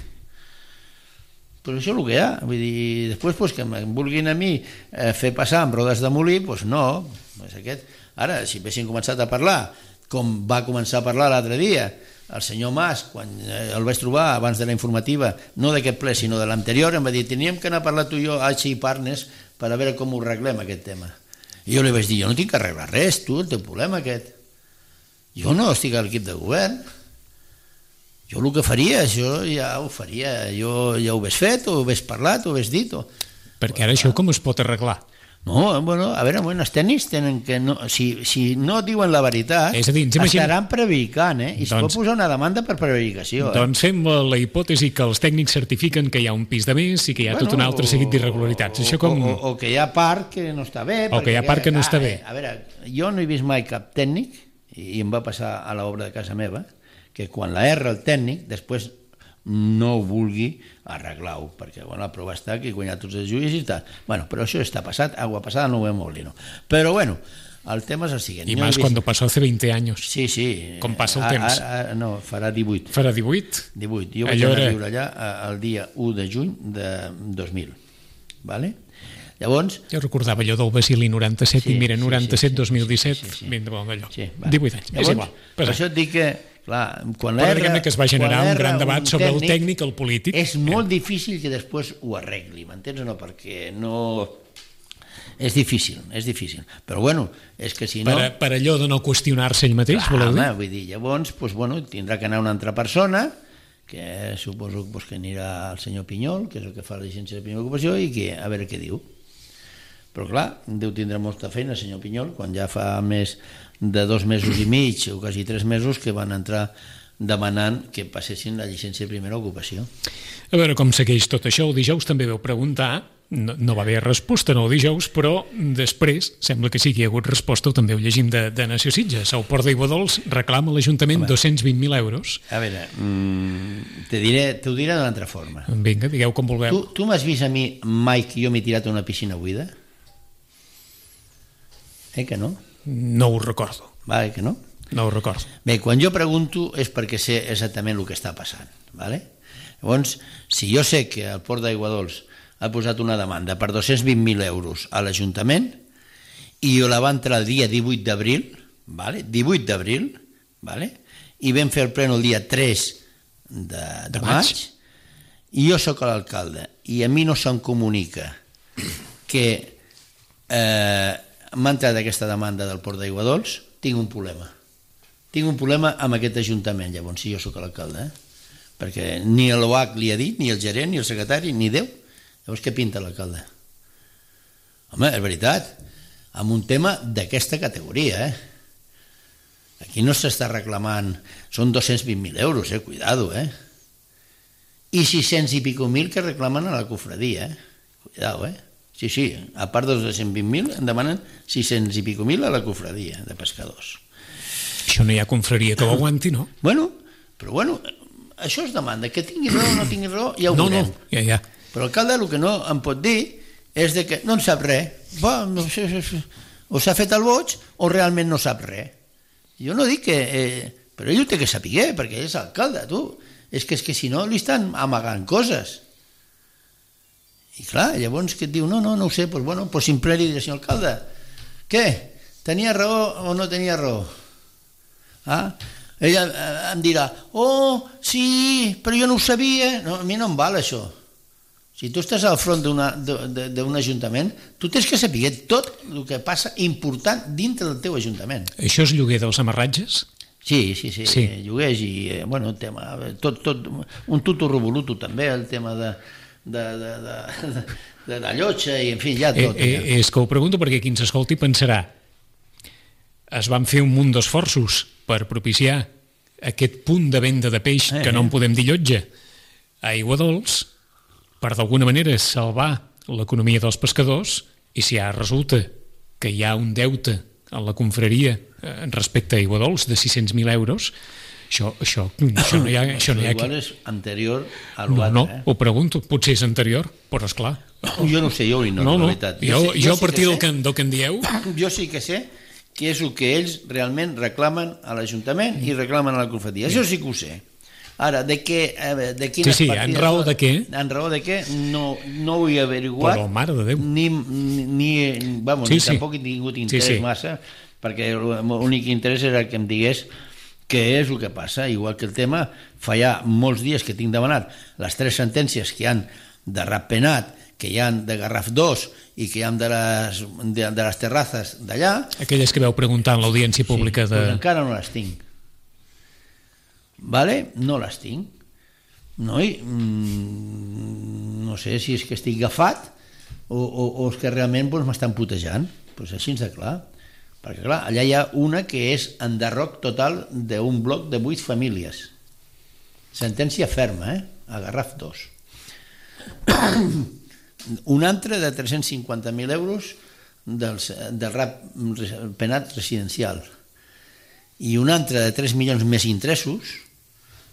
Però això és el que hi ha, vull dir, després pues, que em vulguin a mi eh, fer passar amb rodes de molí, doncs no, és aquest. Ara, si haguessin començat a parlar, com va començar a parlar l'altre dia, el senyor Mas, quan el vaig trobar abans de la informativa, no d'aquest ple sinó de l'anterior, em va dir, teníem que anar a parlar tu i jo a H I Partners per a veure com ho arreglem aquest tema. I jo li vaig dir, jo no tinc que arreglar res, tu, el teu problema aquest. Jo no estic a l'equip de govern. Jo el que faria, això ja ho faria, jo ja ho hagués fet, o ho hagués parlat, o ho hagués dit. O... Perquè ara això com es pot arreglar? No, bueno, a veure, bueno, els tècnics tenen que... No, si, si no diuen la veritat, és a dir, imagina... estaran prevaricant, eh? I es doncs, pot posar una demanda per prevaricació. Eh? Doncs fem la hipòtesi que els tècnics certifiquen que hi ha un pis de més i que hi ha bueno, tot un altre seguit d'irregularitats. Això com... O, o, o que hi ha part que no està bé. O que hi ha part que no ah, està bé. A veure, jo no he vist mai cap tècnic, i em va passar a l'obra de casa meva, que quan la erra el tècnic, després no ho vulgui arreglar-ho, perquè bueno, la prova està que he guanyat tots els judicis i tal. Bueno, però això està passat, agua passada no ho hem molino. Però bueno, el tema és el següent. I més vist... quan passó hace veinte años. Sí, sí. Com passa el temps. A, a, no, farà divuit. Farà divuit? divuit. Jo vaig anar a viure allà el dia u de juny de dos mil. Vale? Llavors... Jo recordava allò del Basili noranta-set sí, i mira, noranta-set dos mil disset, sí, sí, sí. ben de bon d'allò. Sí, divuit anys, llavors, és igual. Per això et dic que clar, quan però diguem-ne que es va generar un gran debat sobre el tècnic, el polític. És molt difícil que després ho arregli, m'entens o no? Perquè no... És difícil, és difícil. Però bueno, és que si no... Per, per allò de no qüestionar-se ell mateix, clar, voleu dir? Home, vull dir, llavors, doncs, bueno, tindrà que anar una altra persona, que suposo doncs, que anirà el senyor Pinyol, que és el que fa la llicència de primera ocupació, i que a veure què diu. Però clar, deu tindre molta feina el senyor Pinyol, quan ja fa més de dos mesos i mig o quasi tres mesos que van entrar demanant que passessin la llicència de primera ocupació. A veure com segueix tot això. El dijous també vau preguntar, no, no va haver resposta no el dijous, però després sembla que sí que hi ha hagut resposta, ho també ho llegim de, de Nació Sitges. El Port d'Aiguadols reclama a l'Ajuntament dos-cents vint mil euros. A veure, mm, te diré, t'ho diré d'una altra forma. Vinga, digueu com vulgueu. Tu, tu m'has vist a mi mai que jo m'he tirat a una piscina buida? Eh que no? No ho recordo. Vale, que no? No ho recordo. Bé, quan jo pregunto és perquè sé exactament el que està passant. Vale? Llavors, si jo sé que el Port d'Aiguadols ha posat una demanda per dos-cents vint mil euros a l'Ajuntament i jo la va entrar el dia divuit d'abril, vale? divuit d'abril, vale? I vam fer el pleno el dia tres de, de, de maig, maig, i jo sóc l'alcalde i a mi no se'm comunica que eh, m'ha entrat aquesta demanda del Port d'Aiguadols, tinc un problema. Tinc un problema amb aquest ajuntament, llavors, si jo sóc l'alcalde, eh? Perquè ni l'O H li ha dit, ni el gerent, ni el secretari, ni Déu. Llavors, què pinta l'alcalde? Home, és veritat, amb un tema d'aquesta categoria, eh? Aquí no s'està reclamant, són dos-cents vint mil euros, eh? Cuidado, eh? I sis-cents i pico mil que reclamen a la cofradia, eh? Cuidado, eh? Sí, sí, a part dels dos-cents vint mil en demanen sis-cents i pico mil a la cofradia de pescadors. Això no hi ha confraria que ho aguanti, no? Bueno, però bueno, això es demanda, que tingui raó o no tingui raó, ja ho no, veurem. No, ja, ja. Però l'alcalde el que no em pot dir és de que no en sap res. Va, no sé, o s'ha fet el boig o realment no sap res. Jo no dic que... Eh, però ell ho té que saber, perquè ell és alcalde, tu. És que, és que si no li estan amagant coses. I clar, llavors que et diu, no, no, no ho sé, doncs bueno, pues simple li diré, senyor alcalde, què? Tenia raó o no tenia raó? Ah? Ella em dirà, oh, sí, però jo no ho sabia. No, a mi no em val això. Si tu estàs al front d'un ajuntament, tu tens que saber tot el que passa important dintre del teu ajuntament. Això és lloguer dels amarratges? Sí, sí, sí, sí. Lloguers i, bueno, tema, tot, tot, un tuto revoluto també, el tema de, de, de, de, de la llotja i, en fi, ja tot. Eh, eh, és que ho pregunto perquè qui ens escolti pensarà es van fer un munt d'esforços per propiciar aquest punt de venda de peix, eh, que no en podem dir llotja, a Aiguadols, per d'alguna manera salvar l'economia dels pescadors, i si ara resulta que hi ha un deute en la confraria respecte a Aiguadols de sis-cents mil euros, això, això, això no hi ha... Això no hi ha igual és anterior a no, l'altre. no, eh? ho pregunto, potser és anterior, però esclar. Jo no ho sé, jo ho ignoro, no, no. la veritat. Jo, jo, sé, jo a sí partir que del, que, del que en dieu... Jo sí que sé que és el que ells realment reclamen a l'Ajuntament i reclamen a la confraria. Això sí que ho sé. Ara, de què... De quines sí, sí, partides... en raó de què? En raó de què no, no ho he averiguat. Però, mare de Déu. Ni, ni, vamos, sí, ni sí. tampoc he tingut interès sí, sí. massa, perquè l'únic interès era que em digués què és el que passa, igual que el tema, fa ja molts dies que tinc demanat les tres sentències que hi han de Ratpenat, que hi han de Garraf dos i que hi han de les, de, de les terrazes d'allà. Aquelles que vau preguntar en l'audiència pública sí, de... Doncs encara no les tinc. Vale? No les tinc. No, i, mm, no sé si és que estic agafat o, o, o és que realment doncs, m'estan putejant. Doncs així ens de clar. Perquè clar, allà hi ha una que és enderroc total d'un bloc de vuit famílies. Sentència ferma, eh? A Garraf dos. Un altre de tres-cents cinquanta mil euros del, del Ratpenat residencial i un altre de tres milions més interessos,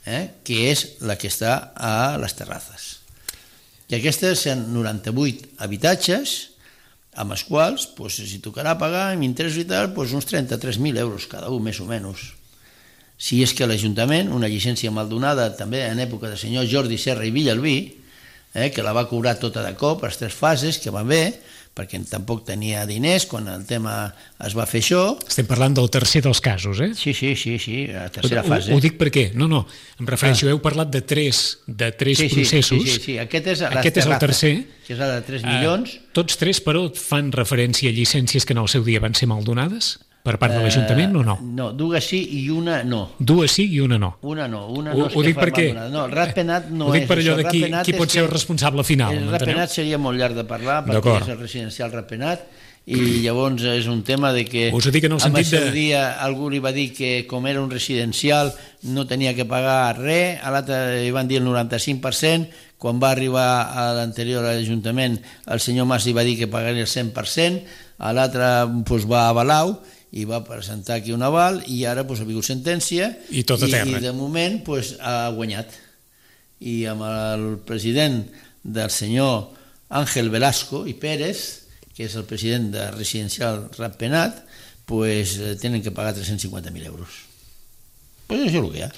eh, que és la que està a les terrazes. I aquestes són noranta-vuit habitatges amb els quals, pues, si tocarà pagar amb interessos i tal, pues, uns trenta-tres mil euros cada un, més o menys. Si és que l'Ajuntament, una llicència mal donada també en època del senyor Jordi Serra i Villalbí, Eh, que la va cobrar tota de cop, les tres fases, que va bé, perquè tampoc tenia diners quan el tema es va fer això. Estem parlant del tercer dels casos, eh? Sí, sí, sí, sí, la tercera ho, fase. Ho dic per què? No, no, em refereixo, ah. heu parlat de tres, de tres sí, sí, processos. Sí, sí, sí, aquest és, aquest és el tercer. Que és el de tres milions. Uh, tots tres, però, fan referència a llicències que en el seu dia van ser mal donades? Per part de l'Ajuntament o no? Uh, no, dues sí i una no. Dues sí i una no. Una no, una no ho, és ho que dic fa perquè, mal donada. No, el Ratpenat no és. Ho dic per allò això. de qui, qui pot ser el responsable final. El Ratpenat seria molt llarg de parlar, perquè és el residencial Ratpenat, i llavors és un tema de que us ho dic en el sentit de... dia algú li va dir que com era un residencial no tenia que pagar res, a l'altre li van dir el noranta-cinc per cent, quan va arribar a l'anterior a l'Ajuntament el senyor Mas li va dir que pagaria el cent per cent, a l'altre doncs, va a Balau i va presentar aquí un aval i ara doncs, ha vingut sentència i, tot a terra. i, i de moment doncs, ha guanyat. I amb el president del senyor Àngel Velasco i Pérez, que és el president de Residencial Ratpenat, pues, tenen que pagar tres-cents cinquanta mil euros. Pues això és el que hi ha.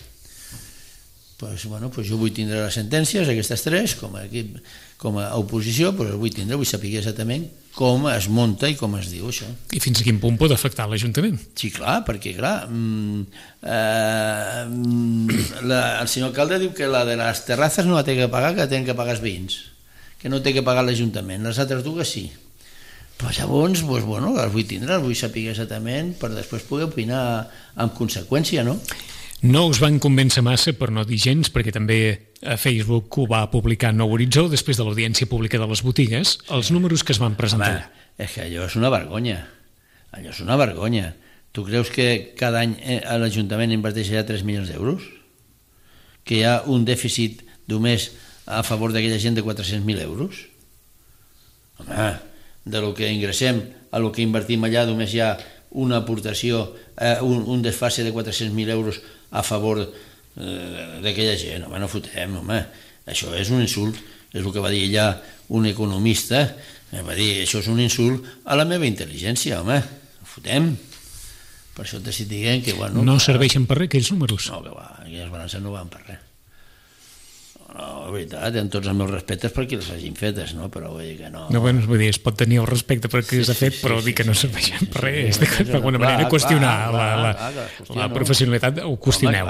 Pues, bueno, pues jo vull tindre les sentències, aquestes tres, com a, equip, com a oposició, pues vull tindre, vull saber exactament com es munta i com es diu això. I fins a quin punt pot afectar l'Ajuntament? Sí, clar, perquè clar, mm, eh, la, el senyor alcalde diu que la de les terrazes no la té que pagar, que la tenen que pagar els veïns, que no té que pagar l'Ajuntament, les altres dues sí. Però llavors, doncs, bueno, les vull tindre, les vull saber exactament per després poder opinar amb conseqüència, no? No us van convèncer massa, per no dir gens, perquè també a Facebook ho va publicar Nou Horitzó, després de l'audiència pública de les botigues, els números que es van presentar. Home, és que allò és una vergonya. Allò és una vergonya. Tu creus que cada any l'Ajuntament inverteix ja tres milions d'euros? Que hi ha un dèficit només a favor d'aquella gent de quatre-cents mil euros? Home, de lo que ingressem a lo que invertim allà només hi ha una aportació, eh, un, un desfase de quatre-cents mil euros a favor eh, d'aquella gent. Home, no fotem, home. Això és un insult. És el que va dir ella un economista. Va dir, això és un insult a la meva intel·ligència, home. No fotem. Per això t'estic dient que... Bueno, no serveixen per res aquells números. No, que va, aquelles balances no van per res. No, la veritat, en tots els meus respectes perquè les hagin fetes, no? Però vull dir que no... No, bueno, vull dir, es pot tenir el respecte perquè s'ha fet, però dir que no serveixen per res, d'alguna manera qüestionar la professionalitat, ho qüestioneu.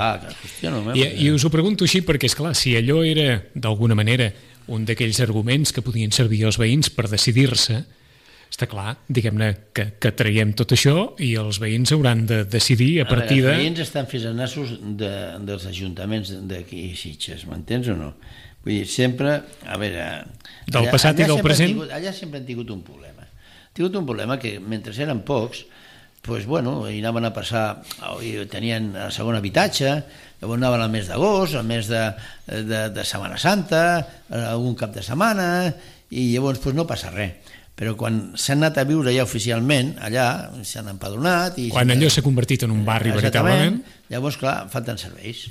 I us ho pregunto així perquè, esclar, si allò era, d'alguna manera, un d'aquells arguments que podien servir als veïns per decidir-se, està clar, diguem-ne, que, que traiem tot això i els veïns hauran de decidir a partir de... Els veïns estan fets a nassos de, dels ajuntaments d'aquí a Sitges, m'entens o no? Vull dir, sempre, a veure... Del allà, passat i del present? Tingut, allà sempre han tingut un problema. Han tingut un problema que, mentre eren pocs, pues, bueno, hi anaven a passar, i tenien el segon habitatge, llavors anaven al mes d'agost, al mes de, de, de Setmana Santa, algun cap de setmana, i llavors pues, no passa res. Però quan s'han anat a viure ja oficialment, allà s'han empadronat... I quan allò s'ha convertit en un barri veritablement... Llavors, clar, falten serveis.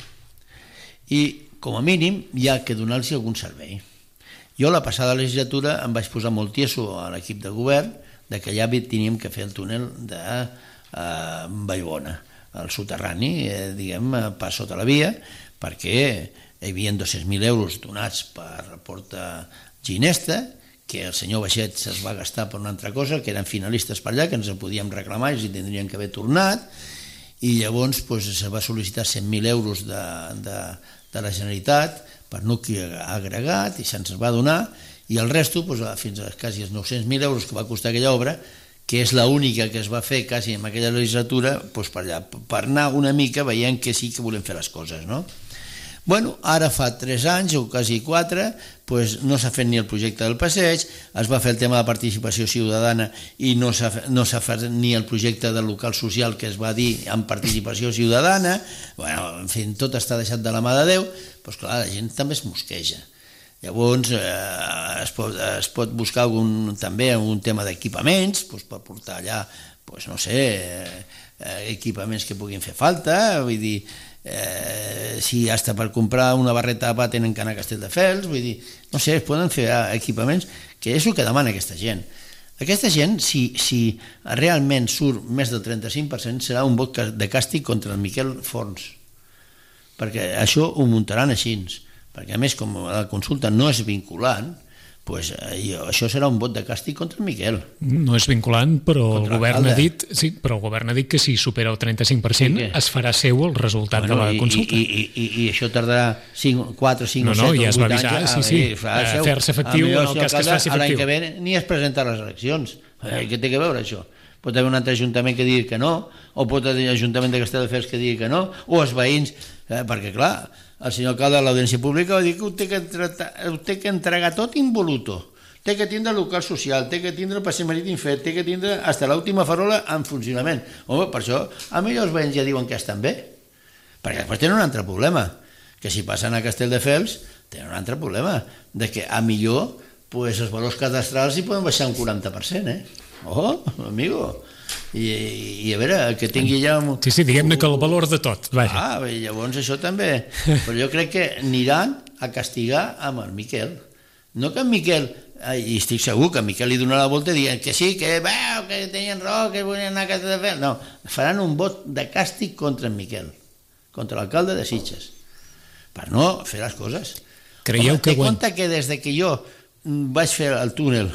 I, com a mínim, hi ha que donar-los algun servei. Jo, la passada legislatura, em vaig posar molt tieso a l'equip de govern de que allà teníem que fer el túnel de eh, Vallbona, el soterrani, eh, diguem, pas sota la via, perquè hi havia dos-cents mil euros donats per Porta Ginesta, que el senyor Baixet se'ls va gastar per una altra cosa, que eren finalistes per allà, que ens el podíem reclamar i tindrien que haver tornat, i llavors pues, se va sol·licitar cent mil euros de, de, de la Generalitat per nucli agregat, i se'ns va donar, i el resto, pues, fins a quasi els nou-cents mil euros que va costar aquella obra, que és l'única que es va fer quasi en aquella legislatura, pues, per allà, per anar una mica veient que sí que volem fer les coses, no? Bueno, ara fa tres anys o quasi quatre, pues no s'ha fet ni el projecte del passeig, es va fer el tema de participació ciutadana i no s'ha no s'ha fet ni el projecte del local social que es va dir amb participació ciutadana. Bueno, en fi, tot està deixat de la mà de Déu, doncs clar, la gent també es mosqueja. Llavors eh, es, pot, es pot buscar algun, també un tema d'equipaments, doncs, per portar allà, doncs, no sé, eh, equipaments que puguin fer falta, vull dir, Eh, si hasta per comprar una barreta de pa tenen que anar a Castelldefels, vull dir, no sé, es poden fer equipaments, que és el que demana aquesta gent. Aquesta gent, si, si realment surt més del trenta-cinc per cent, serà un vot de càstig contra el Miquel Forns, perquè això ho muntaran així, perquè a més, com la consulta no és vinculant, pues, això serà un vot de càstig contra el Miquel. No és vinculant, però el govern ha dit, sí, però el govern ha dit que si supera el trenta-cinc per cent es farà seu el resultat bueno, de la consulta. I, i, i, i això tardarà quatre, cinc no, o set no, ja o vuit anys. Avisar, sí, sí. A fer-se efectiu en el cas que es faci efectiu. L'any que ve ni es presenta a les eleccions. Eh, què té que veure això? Pot haver un altre ajuntament que digui que no, o pot haver un ajuntament de Castelldefels que digui que no, o els veïns, eh, perquè clar, el senyor alcalde de l'Audiència Pública va dir que ho té que, tratar, ho té que entregar tot involuto, té que tindre el local social, té que tindre el passeig marítim fet, té que tindre fins l'última farola en funcionament. Home, per això a mi els veïns ja diuen que estan bé, perquè després tenen un altre problema, que si passen a Castelldefels tenen un altre problema, de que a millor pues, els valors cadastrals hi poden baixar un quaranta per cent, eh? Oh, amigo! I, i a veure, que tingui ja... Un... Sí, sí, diguem-ne que el valor de tot. Vaja. Ah, i llavors això també. Però jo crec que aniran a castigar amb el Miquel. No que en Miquel, i estic segur que en Miquel li donarà la volta dient que sí, que veu, que tenien raó, que volien anar a Castelldefels. No, faran un vot de càstig contra en Miquel, contra l'alcalde de Sitges, per no fer les coses. Creieu Home, que... Té compte que des de que jo vaig fer el túnel,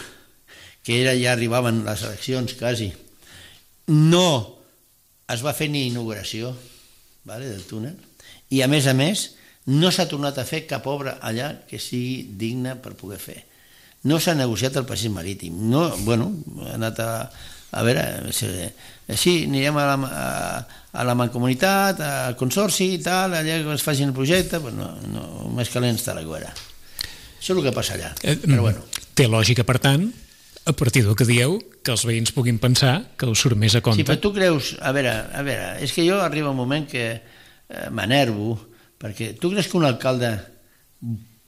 que era ja arribaven les eleccions quasi, no es va fer ni inauguració, vale, del túnel, i a més a més no s'ha tornat a fer cap obra allà que sigui digna per poder fer. No s'ha negociat el passeig marítim. No, bueno, ha anat a, a veure, sí, anirem a la, a, a la mancomunitat, al consorci i tal, allà que es facin el projecte, però no, no, més calent està la guera. Això és el que passa allà, però bueno. Té lògica, per tant, a partir del que dieu, que els veïns puguin pensar que us surt més a compte. Sí, però tu creus... A veure, a veure, és que jo arriba un moment que eh, m'enervo, perquè tu creus que un alcalde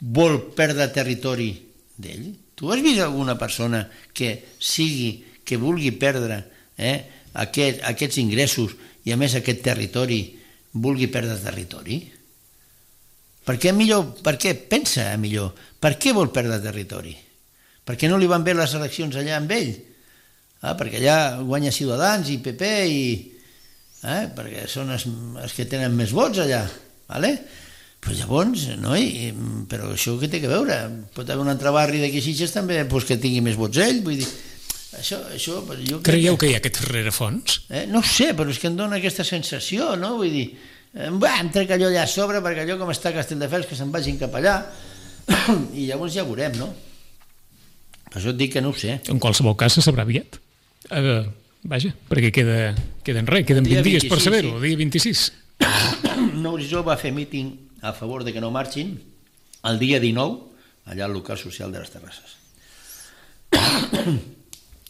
vol perdre territori d'ell? Tu has vist alguna persona que sigui, que vulgui perdre eh, aquest, aquests ingressos i a més aquest territori vulgui perdre territori? Per què millor, per què pensa millor? Per què vol perdre territori? Perquè no li van bé les eleccions allà amb ell? Ah, perquè allà guanya Ciutadans i P P i... eh? Perquè són els, els que tenen més vots allà, vale? Però llavors, no? I, però això què té que veure? Pot haver un altre barri d'aquí a Sitges també pues, que tingui més vots ell, vull dir, això, això, jo Creieu que... que hi ha aquest rerefons? Eh? No ho sé, però és que em dona aquesta sensació, no? Vull dir, eh, bah, em trec allò allà a sobre perquè allò com està a Castelldefels que se'n vagin cap allà i llavors ja veurem, no? Per això et dic que no ho sé. En qualsevol cas se sabrà aviat. Uh, vaja, perquè queda, queden res, queden vint dies per saber-ho, el dia vint-i-sis. Nourisó va fer míting a favor de que no marxin el dia dinou allà al local social de les Terrasses.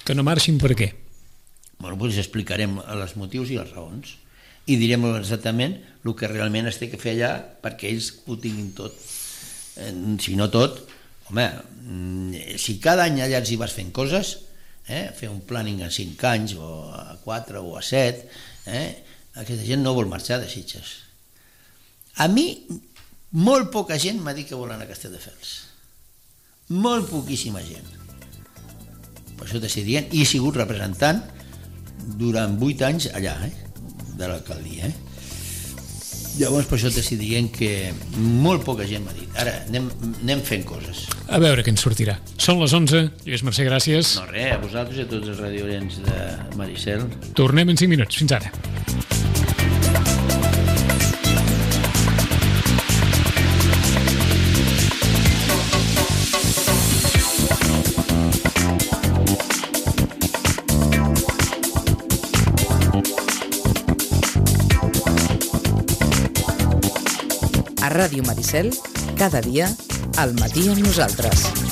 Que no marxin per què? Bueno, doncs explicarem els motius i les raons i direm exactament el que realment es té que fer allà perquè ells ho tinguin tot. Si no tot, home, si cada any allà els hi vas fent coses, eh, fer un planning a cinc anys o a quatre o a set, eh, aquesta gent no vol marxar de Sitges. A mi, molt poca gent m'ha dit que volen a Castelldefels. Molt poquíssima gent. Per això t'estic dient, i he sigut representant durant vuit anys allà, eh, de l'alcaldia. Eh? Llavors, per això t'estic dient que molt poca gent m'ha dit. Ara, anem, anem fent coses. A veure què ens sortirà. Són les onze. Lluís Mercè, gràcies. No, res, a vosaltres i a tots els radioients de Maricel. Tornem en cinc minuts. Fins ara. A Ràdio Maricel, cada dia, al matí amb nosaltres.